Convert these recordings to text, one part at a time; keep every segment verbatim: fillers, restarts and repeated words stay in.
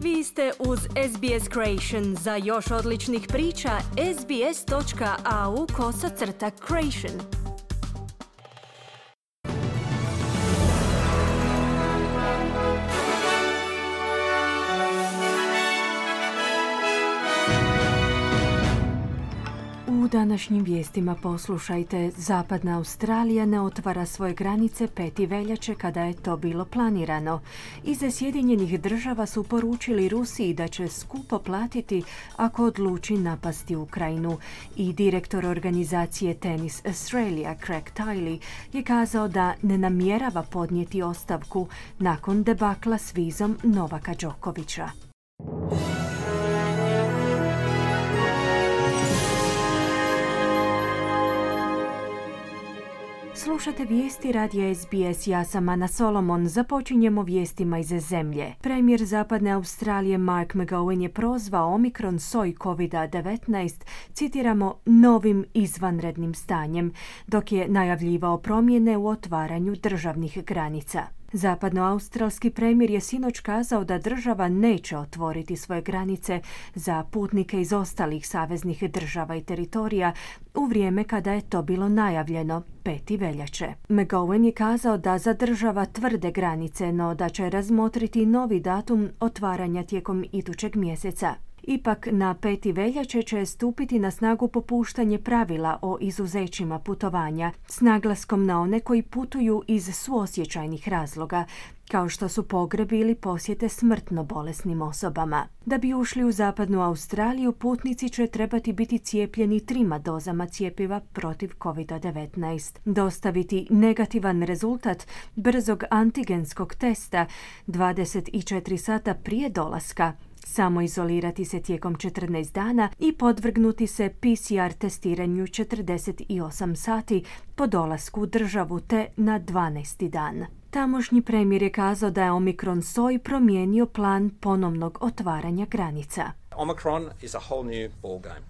Vi ste uz S B S Creation. Za još odličnih priča, sbs.au kosacrta creation. U današnjim vijestima poslušajte, Zapadna Australija ne otvara svoje granice pete veljače kada je to bilo planirano. Iz Sjedinjenih država su poručili Rusiji da će skupo platiti ako odluči napasti Ukrajinu. I direktor organizacije Tennis Australia, Craig Tiley, je kazao da ne namjerava podnijeti ostavku nakon debakla s vizom Novaka Đokovića. Slušate vijesti radija S B S, ja sam Ana Solomon. Započinjemo vijestima iz zemlje. Premijer Zapadne Australije Mark McGowan je prozvao Omikron soj covid devetnaest, citiramo, novim izvanrednim stanjem, dok je najavljivao promjene u otvaranju državnih granica. Zapadnoaustralski premijer je sinoć kazao da država neće otvoriti svoje granice za putnike iz ostalih saveznih država i teritorija u vrijeme kada je to bilo najavljeno pete veljače. McGowan je kazao da zadržava tvrde granice, no da će razmotriti novi datum otvaranja tijekom idućeg mjeseca. Ipak na pete veljače će stupiti na snagu popuštanje pravila o izuzećima putovanja s naglaskom na one koji putuju iz suosjećajnih razloga, kao što su pogrebi ili posjete smrtno bolesnim osobama. Da bi ušli u Zapadnu Australiju, putnici će trebati biti cijepljeni trima dozama cjepiva protiv covid devetnaest, dostaviti negativan rezultat brzog antigenskog testa dvadeset četiri sata prije dolaska, samoizolirati se tijekom četrnaest dana i podvrgnuti se P C R testiranju četrdeset osam sati po dolasku u državu te na dvanaesti dan. Tamošnji premijer je kazao da je Omikron soj promijenio plan ponovnog otvaranja granica. Omicron is a whole new ballgame.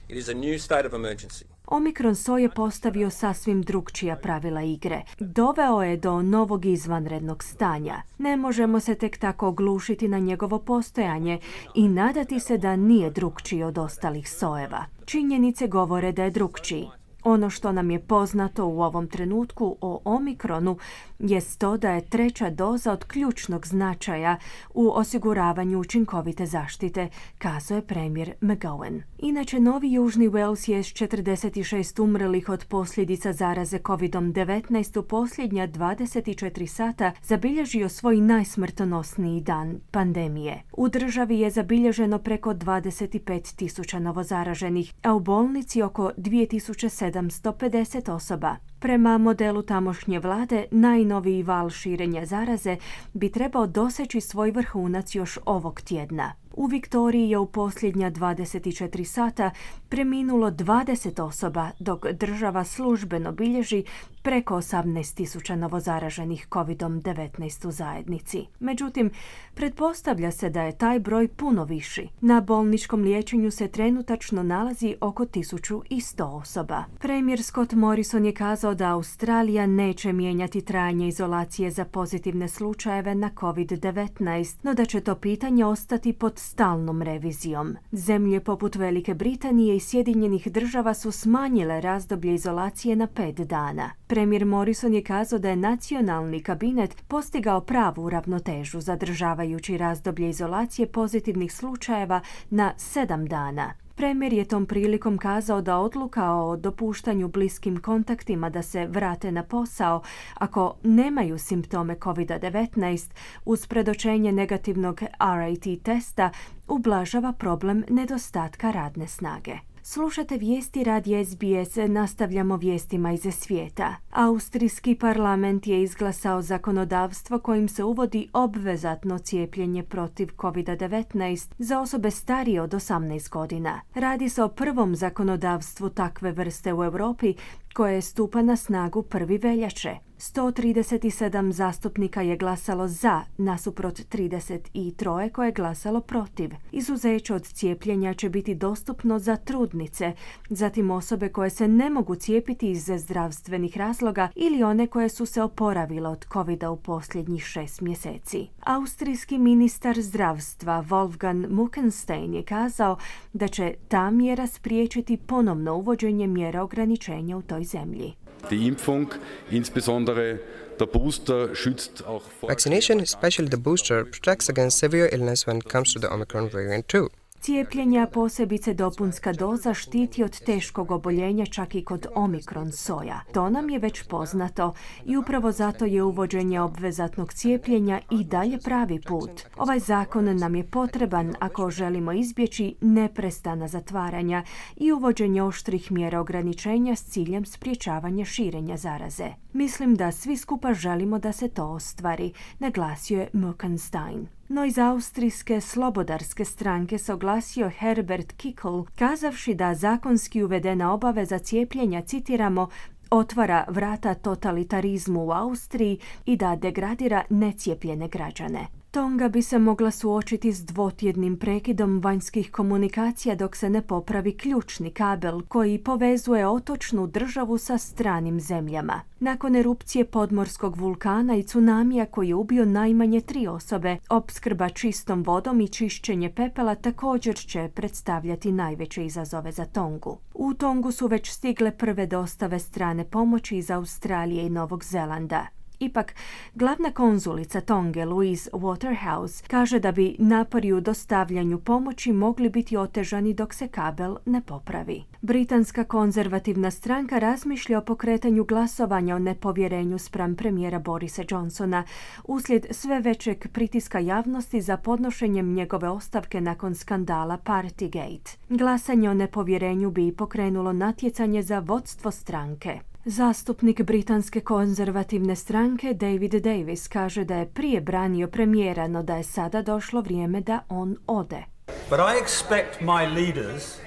It is a new state of emergency. Omikron soj je postavio sasvim drukčija pravila igre. Doveo je do novog izvanrednog stanja. Ne možemo se tek tako oglušiti na njegovo postojanje i nadati se da nije drukčiji od ostalih sojeva. Činjenice govore da je drukčiji. Ono što nam je poznato u ovom trenutku o Omikronu jest to da je treća doza od ključnog značaja u osiguravanju učinkovite zaštite, kazao je premijer McGowan. Inače, Novi Južni Wales je s četrdeset šest umrlih od posljedica zaraze covid devetnaest u posljednja dvadeset četiri sata zabilježio svoj najsmrtonosniji dan pandemije. U državi je zabilježeno preko dvadeset pet tisuća novozaraženih, a u bolnici oko dvije tisuće sedamsto pedeset osoba. Prema modelu tamošnje vlade, najnoviji val širenja zaraze bi trebao doseći svoj vrhunac još ovog tjedna. U Viktoriji je u posljednja dvadeset četiri sata preminulo dvadeset osoba, dok država službeno bilježi preko osamnaest tisuća novozaraženih covid devetnaest u zajednici. Međutim, pretpostavlja se da je taj broj puno viši. Na bolničkom liječenju se trenutačno nalazi oko tisuću sto osoba. Premijer Scott Morrison je kazao da Australija neće mijenjati trajanje izolacije za pozitivne slučajeve na covid devetnaest, no da će to pitanje ostati pod stalnom revizijom. Zemlje poput Velike Britanije i Sjedinjenih država su smanjile razdoblje izolacije na pet dana. Premijer Morrison je kazao da je nacionalni kabinet postigao pravu ravnotežu, zadržavajući razdoblje izolacije pozitivnih slučajeva na sedam dana. Premijer je tom prilikom kazao da odluka o dopuštanju bliskim kontaktima da se vrate na posao ako nemaju simptome covid devetnaest uz predočenje negativnog R A T testa ublažava problem nedostatka radne snage. Slušate vijesti radija S B S, nastavljamo vijestima iz svijeta. Austrijski parlament je izglasao zakonodavstvo kojim se uvodi obvezatno cijepljenje protiv covid devetnaest za osobe starije od osamnaest godina. Radi se o prvom zakonodavstvu takve vrste u Europi koje stupa na snagu prvi veljače. sto trideset sedam zastupnika je glasalo za, nasuprot trideset tri koje je glasalo protiv. Izuzeće od cijepljenja će biti dostupno za trudnice, zatim osobe koje se ne mogu cijepiti iz zdravstvenih razloga ili one koje su se oporavile od covida u posljednjih šest mjeseci. Austrijski ministar zdravstva Wolfgang Muckenstein je kazao da će ta mjera spriječiti ponovno uvođenje mjera ograničenja u toj zemlji. Die Impfung, insbesondere der Booster, schützt auch vor... Vaccination, especially the booster, protects against severe illness when it comes to the Omicron variant too. Cijepljenja, posebice dopunska doza, štiti od teškog oboljenja čak i kod Omikron soja. To nam je već poznato i upravo zato je uvođenje obvezatnog cijepljenja i dalje pravi put. Ovaj zakon nam je potreban ako želimo izbjeći neprestana zatvaranja i uvođenje oštrih mjera ograničenja s ciljem sprječavanja širenja zaraze. Mislim da svi skupa želimo da se to ostvari, naglasio je Muckenstein. No iz austrijske slobodarske stranke se oglasio Herbert Kickl, kazavši da zakonski uvedena obaveza cijepljenja, citiramo, otvara vrata totalitarizmu u Austriji i da degradira necijepljene građane. Tonga bi se mogla suočiti s dvotjednim prekidom vanjskih komunikacija dok se ne popravi ključni kabel koji povezuje otočnu državu sa stranim zemljama. Nakon erupcije podmorskog vulkana i tsunamija koji je ubio najmanje tri osobe, opskrba čistom vodom i čišćenje pepela također će predstavljati najveće izazove za Tongu. U Tongu su već stigle prve dostave strane pomoći iz Australije i Novog Zelanda. Ipak, glavna konzulica Tonge, Louise Waterhouse, kaže da bi napori u dostavljanju pomoći mogli biti otežani dok se kabel ne popravi. Britanska konzervativna stranka razmišlja o pokretanju glasovanja o nepovjerenju spram premijera Borisa Johnsona uslijed sve većeg pritiska javnosti za podnošenjem njegove ostavke nakon skandala Partygate. Glasanje o nepovjerenju bi pokrenulo natjecanje za vodstvo stranke. Zastupnik britanske konzervativne stranke David Davis kaže da je prije branio premijera, no da je sada došlo vrijeme da on ode. But I expect my leaders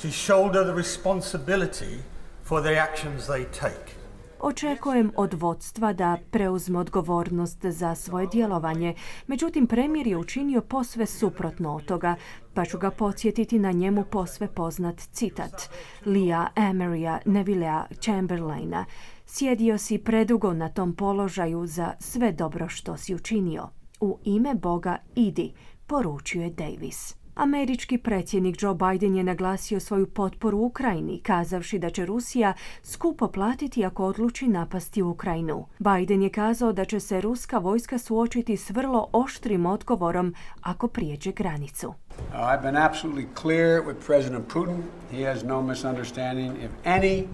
to shoulder the responsibility for the actions they take. Očekujem od vodstva da preuzme odgovornost za svoje djelovanje, međutim premijer je učinio posve suprotno od toga, pa ću ga podsjetiti na njemu posve poznat citat Leah Emerya Nevillea Chamberlaina. Sjedio si predugo na tom položaju za sve dobro što si učinio. U ime Boga idi, poručuje Davis. Američki predsjednik Joe Biden je naglasio svoju potporu Ukrajini, kazavši da će Rusija skupo platiti ako odluči napasti Ukrajinu. Biden je kazao da će se ruska vojska suočiti s vrlo oštrim odgovorom ako prijeđe granicu. I've been absolutely clear with President Putin. He has no misunderstanding. If any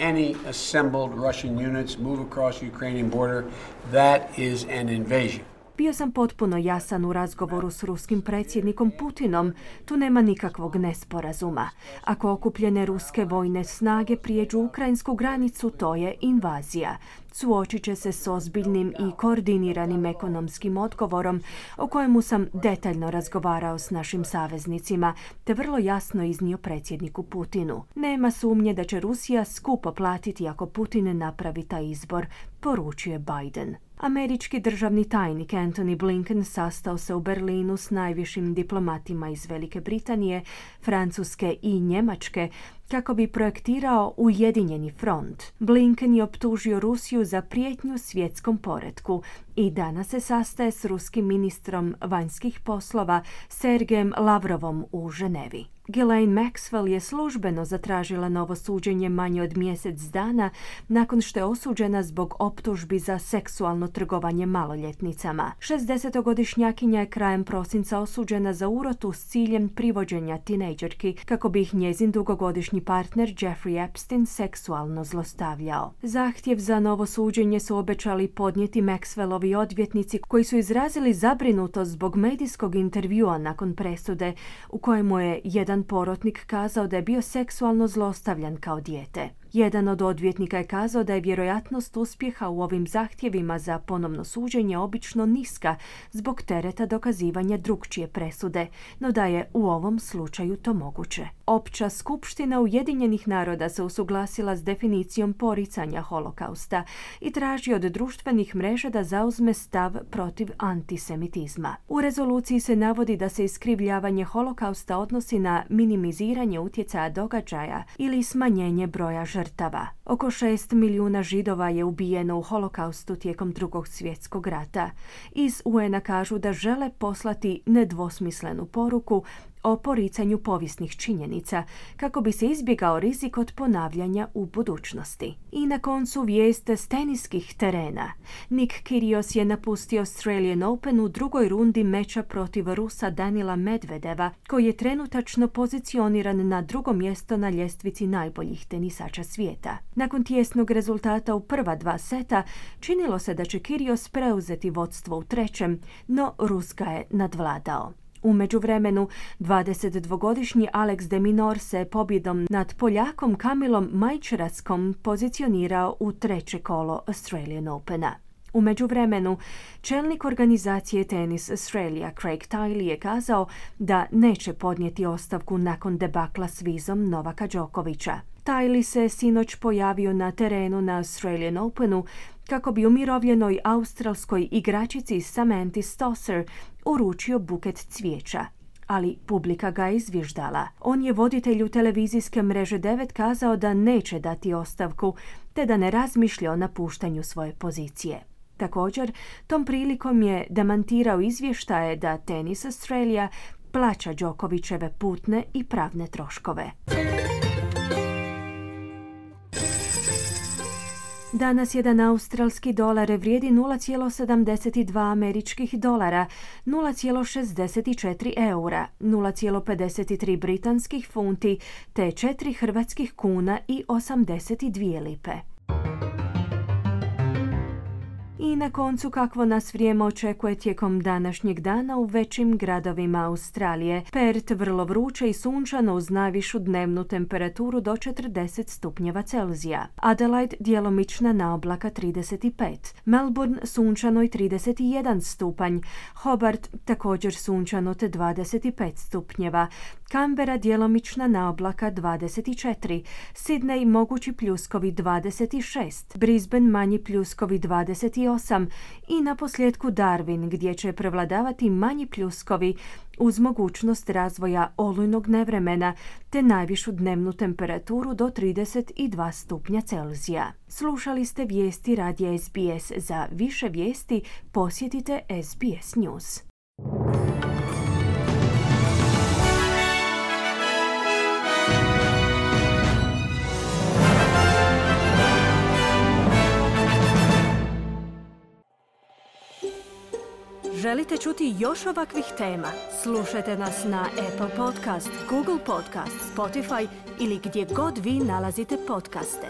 any assembled Russian units move across the Ukrainian border, that is an invasion. Bio sam potpuno jasan u razgovoru s ruskim predsjednikom Putinom. Tu nema nikakvog nesporazuma. Ako okupljene ruske vojne snage prijeđu ukrajinsku granicu, to je invazija. Suočit će se s ozbiljnim i koordiniranim ekonomskim odgovorom o kojemu sam detaljno razgovarao s našim saveznicima, te vrlo jasno iznio predsjedniku Putinu. Nema sumnje da će Rusija skupo platiti ako Putin napravi taj izbor, poručuje Biden. Američki državni tajnik Antony Blinken sastao se u Berlinu s najvišim diplomatima iz Velike Britanije, Francuske i Njemačke kako bi projektirao ujedinjeni front. Blinken je optužio Rusiju za prijetnju svjetskom poretku i danas se sastaje s ruskim ministrom vanjskih poslova Sergejem Lavrovom u Ženevi. Ghislaine Maxwell je službeno zatražila novo suđenje manje od mjesec dana nakon što je osuđena zbog optužbi za seksualno trgovanje maloljetnicama. šezdesetogodišnjakinja je krajem prosinca osuđena za urotu s ciljem privođenja tinejdžerki kako bi ih njezin dugogodišnji partner Jeffrey Epstein seksualno zlostavljao. Zahtjev za novo suđenje su obećali podnijeti Maxwellovi odvjetnici koji su izrazili zabrinutost zbog medijskog intervjua nakon presude u kojemu je jedan porotnik kazao da je bio seksualno zlostavljan kao dijete. Jedan od odvjetnika je kazao da je vjerojatnost uspjeha u ovim zahtjevima za ponovno suđenje obično niska zbog tereta dokazivanja drukčije presude, no da je u ovom slučaju to moguće. Opća skupština Ujedinjenih naroda se usuglasila s definicijom poricanja holokausta i traži od društvenih mreža da zauzme stav protiv antisemitizma. U rezoluciji se navodi da se iskrivljavanje holokausta odnosi na minimiziranje utjecaja događaja ili smanjenje broja žrtava. Oko šest milijuna Židova je ubijeno u holokaustu tijekom Drugog svjetskog rata. Iz U N-a kažu da žele poslati nedvosmislenu poruku o poricanju povijesnih činjenica kako bi se izbjegao rizik od ponavljanja u budućnosti. I na koncu vijest s teniskih terena. Nick Kyrgios je napustio Australian Open u drugoj rundi meča protiv Rusa Danila Medvedeva, koji je trenutačno pozicioniran na drugo mjesto na ljestvici najboljih tenisača svijeta. Nakon tijesnog rezultata u prva dva seta, činilo se da će Kyrgios preuzeti vodstvo u trećem, no Rus ga je nadvladao. U međuvremenu, dvadesetdvogodišnji Alex de Minaur se pobjedom nad Poljakom Kamilom Majčerackom pozicionirao u treće kolo Australian Opena. U međuvremenu, čelnik organizacije Tennis Australia Craig Tiley je kazao da neće podnijeti ostavku nakon debakla s vizom Novaka Đokovića. Tiley se sinoć pojavio na terenu na Australian Openu kako bi umirovljenoj australskoj igračici Samantha Stosur uručio buket cvijeća, ali publika ga je izvježdala. On je voditelju televizijske mreže devet kazao da neće dati ostavku, te da ne razmišlja o napuštanju svoje pozicije. Također, tom prilikom je demantirao izvještaje da Tennis Australia plaća Đokovićeve putne i pravne troškove. Danas jedan australski dolar vrijedi nula zarez sedamdeset dva američkih dolara, nula zarez šezdeset četiri eura, nula zarez pedeset tri britanskih funti te četiri hrvatskih kuna i osamdeset dvije lipe. I na koncu kakvo nas vrijeme očekuje tijekom današnjeg dana u većim gradovima Australije. Perth vrlo vruće i sunčano uz najvišu dnevnu temperaturu do četrdeset stupnjeva Celzija. Adelaide djelomična naoblaka trideset pet. Melbourne sunčano i trideset jedan stupanj. Hobart također sunčano te dvadeset pet stupnjeva. Canberra djelomična naoblaka dvadeset četiri. Sydney mogući pljuskovi dvadeset šest. Brisbane manji pljuskovi dvadeset osam i na posljedku Darwin gdje će prevladavati manji pljuskovi uz mogućnost razvoja olujnog nevremena te najvišu dnevnu temperaturu do trideset dva stupnja Celzija. Slušali ste vijesti radija S B S. Za više vijesti posjetite S B S News. Želite čuti još ovakvih tema? Slušajte nas na Apple Podcast, Google Podcast, Spotify ili gdje god vi nalazite podcaste.